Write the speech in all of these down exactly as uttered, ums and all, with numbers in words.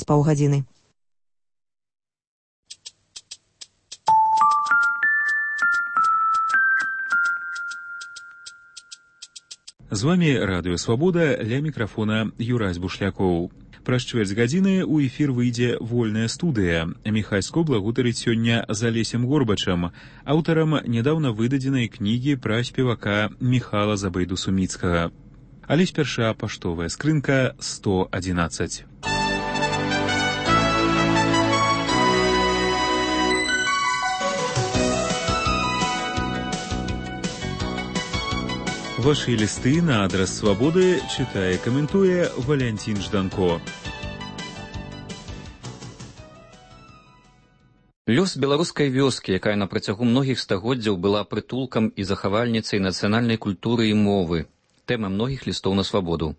праз паўгадзіны. З вами Радыё Свабода, ля мікрафона Юрась Бушлякоў. Праз чвэрць гадзіны ў эфір выйдзе вольная студыя. Міхайско благутарыць сёння з Алесем Горбачам, аўтарам нядаўна выдадзенай кнігі пра спевака Міхала Забайду-Суміцкага. Але спярша паштовая скрынка сто адзінаццаць. Ваши листы на адрес Свободы читае, каментуе Валянцін Жданко. Лёс беларускай вёскі, якая на працягу многіх стагоддзяў была прытулкам і захавальніцай нацыянальнай культуры і мовы, тэма многіх лістоў на свабоду.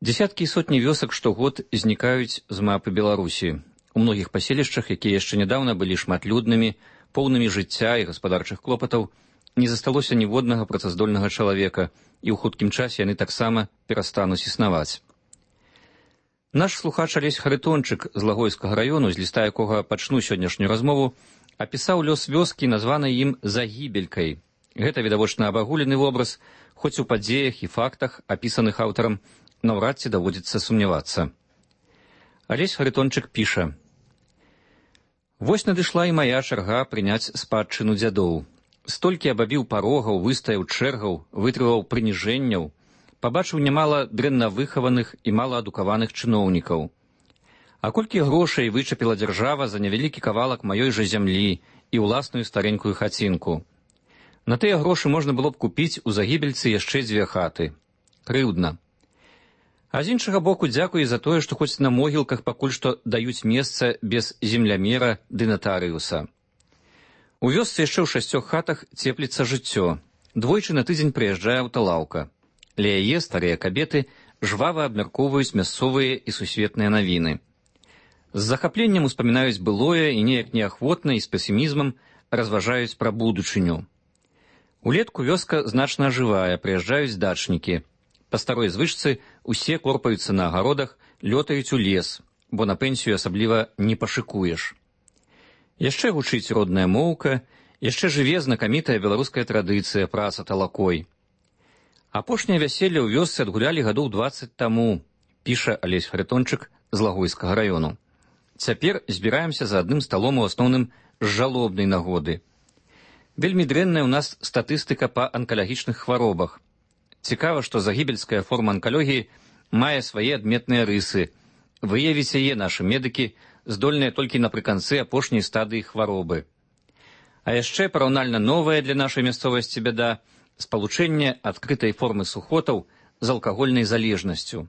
Дзесяткі і сотні вёсак штогод знікаюць з мапы Беларусі. У многіх паселішчах, якія яшчэ нядаўна былі шматлюднымі, поўнымі жыцця і гаспадарчых клопатаў, не засталося ніводнага працаздольнага чалавека, і ў хуткім часе яны таксама перастануць існаваць. Наш слухач Алесь Харитончык з Лагойскага раёну, з ліста якога пачну сённяшнюю размову, апісаў лёс вёскі, названай ім Загібелькай. Гэта відавочна абагулены вобраз, хоць у падзеях і фактах, апісаных аўтарам, наўрад ці даводзіцца сумнявацца. Алесь Харитончык піша: «Вось надышла і мая чарга прыняць спадчыну дзядоў. Столькі абабіў парогаў, выстаяў чэргаў, вытрываў прыніжэнняў, пабачыў нямала дрэнна выхаваных і малаадукаваных чыноўнікаў. А колькі грошай вычапіла дзяржава за невялікі кавалак маёй жа зямлі і ўласную старенькую хацінку. На тыя грошы можна было б купіць у Загібельцы яшчэ дзве хаты. Крыўдна. А з іншага боку, дзякуй за тое, што хоць на могілках пакуль што даюць месца без землямера ды натарыуса. У вёсцы яшчэ ў шасцёх хатах цепліцца жыццё. Двойчы на тыдзень прыязджае аўталаўка. Ля яе старыя кабеты жвава абмяркоўваюць мясцовыя і сусветныя навіны. З захапленнем успамінаюць былое і неяк неахвотна і з песімізмам разважаюць пра будучыню. Улетку вёска значна ажывае, прыязджаюць дачнікі. Па старой звычцы усе корпаюцца на агародах, лётаюць у лес, бо на пенсію асабліва не пашыкуеш. Яшчэ гучыць родная моўка, яшчэ жыве знакамітая беларуская традыцыя праца талакой. Апошняе вяселле ў вёсцы адгулялі гадоў дваццаць таму, піша Алесь Харитончык з Лагойскага раёну. Цяпер збіраемся за адным сталом у асноўным з жалобнай нагоды. Вельмі дрэнная ў нас статыстыка па анкалагічных хваробах. Цікава, што загібельская форма анкалогіі мае свае адметныя рысы. Выявіць яе нашы медыкі здольныя толькі напрыканцы апошняй стадыі хваробы. А яшчэ параўнальна новая для нашай мясцовасці бяда – спалучэнне адкрытай формы сухотаў з алкагольнай залежнасцю.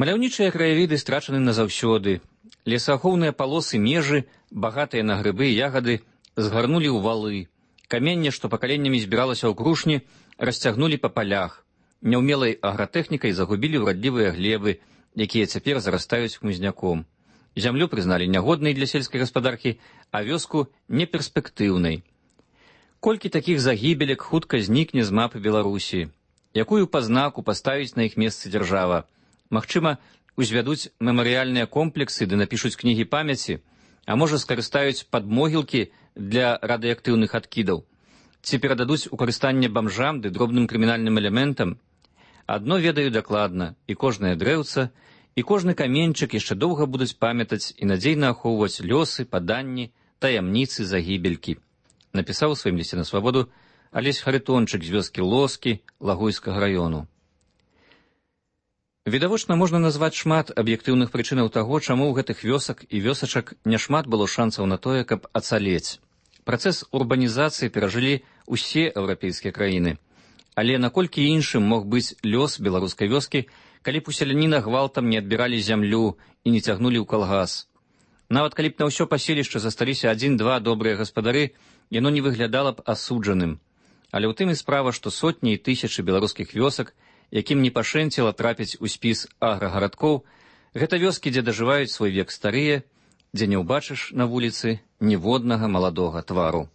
Маляўнічыя краявіды страчаны назаўсёды. Лесаахоўныя палосы межы, багатыя на грыбы і ягады, згарнулі ў валы. Каменне, што пакаленнямі збіралася ў крушні, расцягнулі па палях. Няўмелай агратэхнікай загубілі ўрадлівыя глебы, якія цяпер зарастаюць хмызняком. Зямлю прызналі нягоднай для сельскай гаспадаркі, а вёску неперспектыўнай. Колькі такіх загібелек хутка знікне з мапы Беларусі? Якую пазнаку паставіць на іх месцы дзяржава? Магчыма, узвядуць мемарыяльныя комплексы ды напішуць кнігі памяці, а можа скарыстаюць падмогілкі для радыеактыўных адкідаў? Ці перададуць у карыстанне бамжам ды дробным крымінальным элементам? Адно ведаю дакладна, і кожнае дрэўца, і кожны каменьчык яшчэ доўга будуць памятаць і надзейна ахоўваць лёсы, паданні, таямніцы загібелькі. Напісаў у сваім лісце на свабоду Алесь Харитончык з вёскі Лоскі Лагойскага раёну. Відавочна, можна назваць шмат аб'ектыўных прычынаў таго, чаму ў гэтых вёсак і вёсачак няшмат было шансаў на тое, каб ацалець. Працэс урбанізацыі перажылі ўсе еўрапейскія краіны. Але наколькі іншым мог быць лёс беларускай вёскі, калі б у селяніна гвалтам не адбіралі зямлю і не цягнулі ў калгас. Нават калі б на ўсё паселішча засталіся адзін-два добрыя гаспадары, яно не выглядала б асуджаным. Але ў тым і справа, што сотні і тысячы беларускіх вёсак, якім не пашэнціла трапіць у спіс аграгарадкоў, гэта вёскі, дзе дажываюць свой век старыя, дзе не ўбачыш на вуліцы ніводнага маладога твару.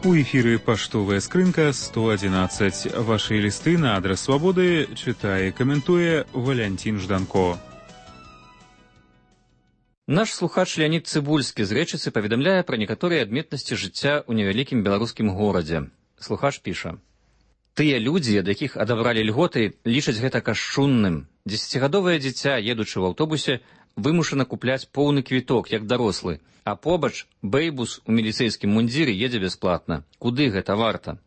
У эфіры паштовая скрынка сто одиннадцать. Ваши листы на адрес Свободы читае і каментуе Валянцін Жданко. Наш слухач Леонид Цыбульскі з Рэчыцы паведамляе пра некаторыя адметнасці жыцця ў невялікім беларускім горадзе. Слухач піша: «Тыя людзі, ад якіх адабралі льготы, лічаць гэта кашчунным. Дзесяцігадовае дзіця, едучы ў аўтобусе, вымушана купляць поўны квіток, як дарослы, а побач бэйбус у міліцэйскім мундзіры едзе бясплатна. Куды гэта варта?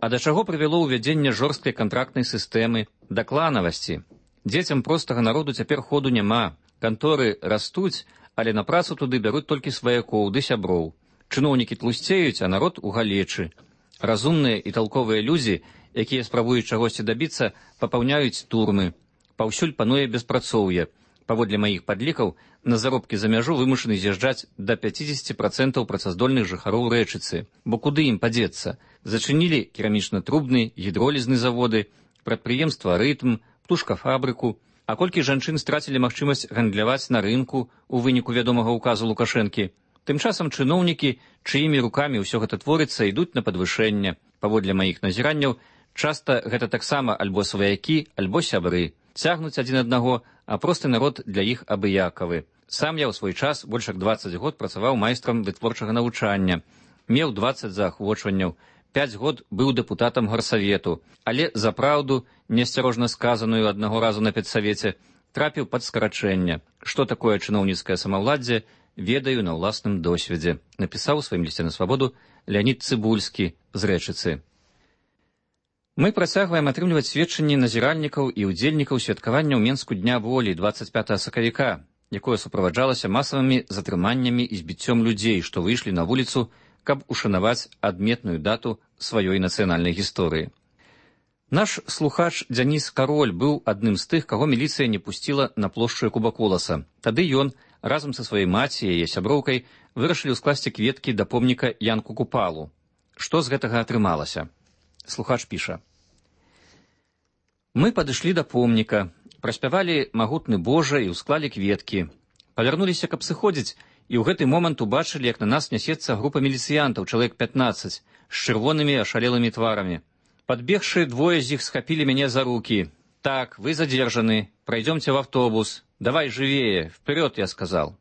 А да чаго прывяло ўвядзенне жорсткай кантрактнай сістэмы, да кланавасці? Дзецям простага народу цяпер ходу няма. Канторы растуць, але на працу туды бяруць толькі сваякоў ды сяброў. Чыноўнікі тлусцеюць, а народ у галечы. Разумныя і талковыя людзі, якія спрабуюць чагосьці дабіцца, папаўняюць турмы. Паўсюль пануе беспрацоўе. Паводле маіх падлікаў, на заробкі за мяжу вымушаны з'язджаць да пяцідзесяці працэнтаў працаздольных жыхароў Рэчыцы. Бо куды ім падзецца? Зачынілі керамічна-трубны, гідролізны заводы, прадпрыемства «Рытм», птушкафабрыку. А колькі жанчын страцілі магчымасць гандляваць на рынку ў выніку вядомага ўказу Лукашэнкі? Тым часам чыноўнікі, чыімі рукамі ўсё гэта творыцца, ідуць на падвышэнне. Паводле маіх назіранняў, часта гэта таксама альбо сваякі, альбо сябры. Цягнуць адзін аднаго, а просты народ для іх абыякавы. Сам я ў свой час больш як дваццаць год працаваў майстрам вытворчага навучання. Меў дваццаць заахвочванняў. Пяць год быў дэпутатам гарсавету, але за праўду, неасцярожна сказаную аднаго разу на педсавеце, трапіў пад скарачэнне. Што такое чыноўніцкае самаўладдзе, ведаю на ўласным досведзе, напісаў у сваім лісце на Свабоду Леонид Цыбульскі з Рэчыцы. Мы працягваем атрымліваць сведчанні назіральнікаў і ўдзельнікаў святкавання ў Менску дня волі дваццаць пятага сакавіка, якое суправаджалася масавымі затрыманнямі і збіццём людзей, што выйшлі на вуліцу, каб ушанаваць адметную дату сваёй нацыянальнай гісторыі. Наш слухач Дзяніс Кароль быў адным з тых, каго міліцыя не пусціла на плошчу Кубаколаса. Тады ён разам са сваёй маці і яе сяброўкай вырашылі ўскласці кветкі да помніка Янку Купалу. Што з гэтага атрымалася? Слухач піша: «Мы падышлі да помніка, праспявалі магутны Божа і ўсклалі кветкі. Павярнуліся, каб сыходзіць, і ў гэты момант убачылі, як на нас нясецца група міліцыянтаў, чалавек пятнаццаць, з чырвонымі ашалелымі тварамі. Падбегшы, двое з іх схапілі мяне за рукі. Так, вы задержаны, пройдемте в автобус. Давай живее, вперед, я сказал.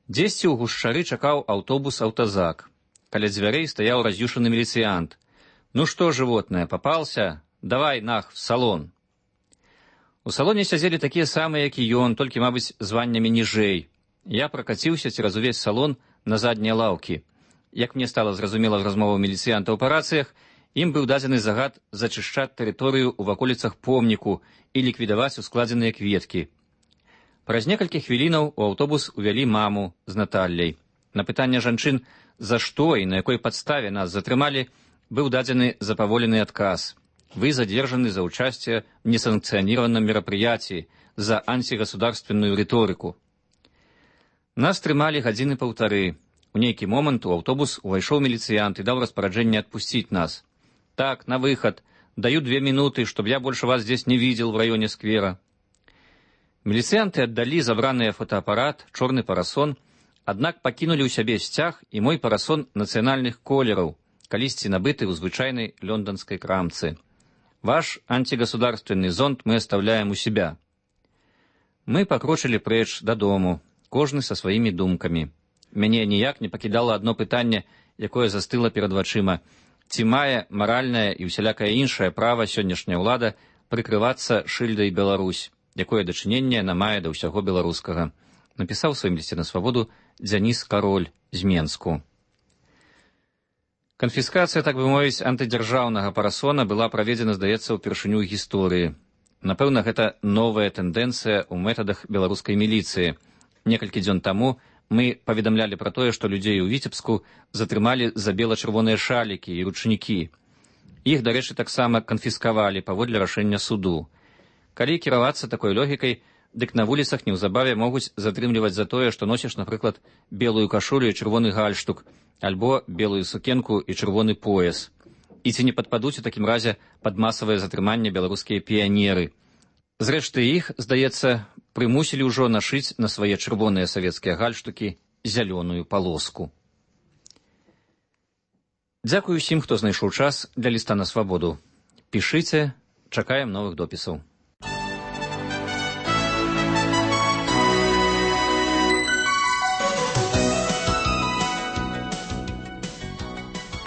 Дзесьці ў гушчары чакаў аўтобус «Аўтазак». Каля дзвярэй стаяў раз'юшаны міліцыянт. «Ну что, животное, попался? Давай, нах, в салон». У салоне сядзелі такія самыя, як і ён, толькі, мабыць, званнямі ніжэй. Я пракаціўся цераз увесь салон на заднія лаўкі. Як мне стала зразумела з размоваў міліцыянтаў па рацыях, ім быў дадзены загад зачышчаць тэрыторыю ў ваколіцах помніку і ліквідаваць ускладзеныя кветкі. Праз некалькі хвілінаў у аўтобус увялі маму з Наталляй. На пытанне жанчын, за што і на якой падставе нас затрымалі, быў дадзены запаволены адказ. Вы задержаны за участие в несанкционированном мероприятии, за антигосударственную риторику. Нас трымалі гадзіны паўтары. У нейкі момант у аўтобус увайшоў міліцыянт і даў распараджэнне адпусціць нас. Так, на выход. Даю две минуты, чтобы я больше вас здесь не видел в районе сквера. Міліцыянты аддалі забраныя фотоапарат, чорны парасон, аднак пакінулі ў сябе сцяг і мой парасон нацыянальных колераў, калісьці набыты ў звычайнай лёнданскай крамцы. Ваш антигосударственный зонт мы оставляем у себя. Мы пакрочылі прэч дадому, кожны са сваімі думкамі. Мяне ніяк не пакідала адно пытанне, якое застыла перад вачыма. Ці мае маральнае і ўсялякае іншае права сённяшняя ўлада прыкрывацца шыльдай Беларусь, якое дачыненне яна мае да ўсяго беларускага. Напісаў у сваім лісце на Свабоду Дзяніс Кароль з Менску. Канфіскацыя, так бы мовіць, антыдзяржаўнага парасона была праведзена, здаецца, упершыню ў гісторыі. Напэўна, гэта новая тэндэнцыя ў метадах беларускай міліцыі. Некалькі дзён таму мы паведамлялі пра тое, што людзей у Віцебску затрымалі за бела-чырвоныя шалікі і ручнікі. Іх, дарэчы, таксама канфіскавалі паводле рашэння суду. Калі кіравацца такой логікай, дык на вуліцах неўзабаве могуць затрымліваць за тое, што носіш, напрыклад, белую кашулю і чырвоны гальштук, альбо белую сукенку і чырвоны пояс. І ці не падпадуць у такім разе пад масавае затрыманне беларускія піянеры. Зрэшты, іх, здаецца, прымусілі ўжо нашыць на свае чырвоныя савецкія гальштукі зялёную палоску. Дзякую усім, хто знайшоў час для ліста на свабоду. Пішыце, чакаем новых допісаў.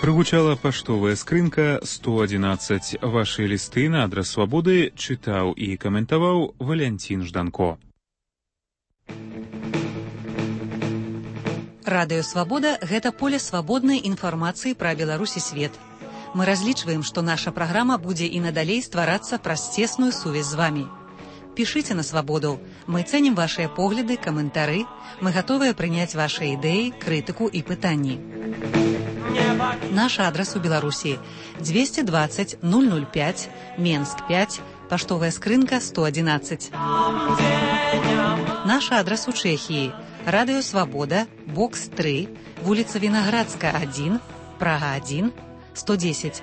Прагучала паштовая скрынка сто адзінаццаць. Вашы лісты на адрас свабоды чытаў і каментаваў Валянцін Жданко. Радыё Свабода – гэта поле свабоднай інфармацыі пра Беларусь і свет. Мы разлічваем, што наша праграма будзе і надалей стварацца праз цесную сувязь з вамі. Пішыце на свабоду. Мы цэнім вашыя погляды, каментары. Мы гатовыя прыняць вашыя ідэі, крытыку і пытанні. Наш адрас у Беларусі двести двадцать ноль ноль пять, Менск пять, паштовая скрынка сто адзінаццаць. Наш адрас у Чэхіі Радыё Свабода, бокс три, вуліца Вінаградска один, Прага один, сто десять